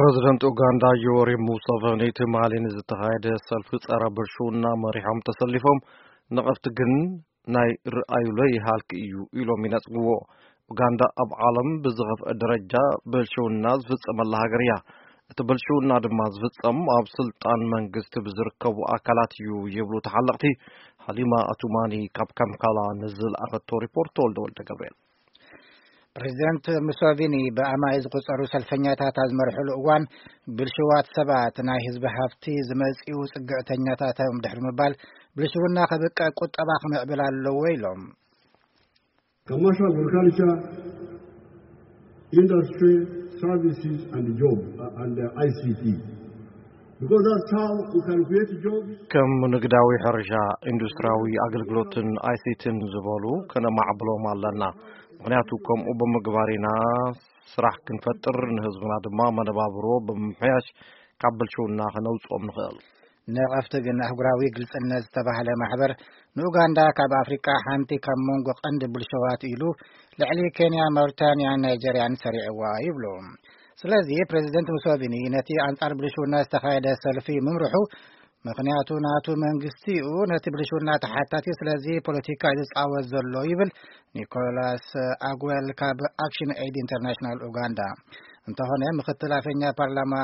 ፕረዚደንት ኡጋንዳ ዮወሪ ሙሰቨኒ ትማሊ ንዝተኻየደ ሰልፊ ጸረ ብልሽውና መሪሖም ተሰሊፎም፣ ነቐፍቲ ግን ናይ ርኣዩለይ ሃልኪ እዩ ኢሎም ይነጽግዎ። ኡጋንዳ ኣብ ዓለም ብዝኸፍአ ደረጃ ብልሽውና ዝፍጸመላ ሃገር እያ። እቲ ብልሽውና ድማ ዝፍጸም ኣብ ስልጣን መንግስቲ ብዝርከቡ ኣካላት እዩ ይብሉ ተሓለቕቲ። ሃሊማ ኣቱማኒ ካብ ካምፓላ ንዝለኣኸቶ ሪፖርት ተወልደ ወልደ ገብርኤል። ፕሬዚደንት ሙሶቪኒ ብኣማይ ዝቁጸሩ ሰልፈኛታት ኣብ ዝመርሕሉ እዋን፣ ብልሽዋት ሰባት ናይ ህዝቢ ሃፍቲ ዝመጽኡ ጽግዕተኛታት እዮም ድሕሪ ምባል፣ ብልሽውና ከብቅዕ ቁጠባ ክምዕብል ኣለዎ ኢሎም። Commercial, agriculture, industry, services and job, uh, and uh, I C T. Because that's how we can create jobs. ከም ንግዳዊ ሕርሻ፣ ኢንዱስትሪያዊ ኣገልግሎትን ኣይሲቲን ዝበሉ ከነማዕብሎም ኣለና። ምኽንያቱ ከምኡ ብምግባር ኢና ስራሕ ክንፈጥር፣ ንህዝብና ድማ መነባብሮ ብምምሕያሽ ካብ ብልሽውና ከነውጽኦም ንኽእል። ነቐፍቲ ግን ኣህጉራዊ ግልጽነት ዝተባህለ ማሕበር ንኡጋንዳ ካብ ኣፍሪቃ ሓንቲ ካብ መንጎ ቀንዲ ብልሽዋት ኢሉ ልዕሊ ኬንያ፣ ማውሪታንያን ናይጀርያን ሰሪዕዋ ይብሉ። ስለዚ ፕሬዚደንት ሙሶቪኒ ነቲ ኣንጻር ብልሽውና ዝተኻየደ ሰልፊ ምምርሑ ምኽንያቱ ናቱ መንግስቲ እዩ ነቲ ብልሽውና ተሓታቲ፣ ስለዚ ፖለቲካ እዩ ዝጻወት ዘሎ ይብል ኒኮላስ ኣግዌል ካብ ኣክሽን ኤድ ኢንተርናሽናል ኡጋንዳ። እንተኾነ ምክትል ኣፈኛ ፓርላማ፣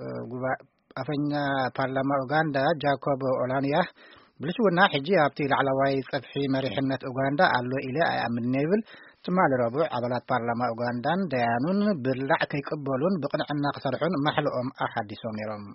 እ፣ ጉባ-፣ ኣፈኛ ፓርላማ ኡጋንዳ ጃኮብ ኦላንያ ብልሽውና ሕጂ ኣብቲ ላዕለዋይ ጸፍሒ መሪሕነት ኡጋንዳ ኣሎ ኢለ ኣይኣምንን ይብል። ትማሊ ረቡዕ ኣባላት ፓርላማ ኡጋንዳን ደያኑን ብላዕ ከይቅበሉን ብቕንዕና ክሰርሑን ማሕልኦም ኣሓዲሶም ነይሮም።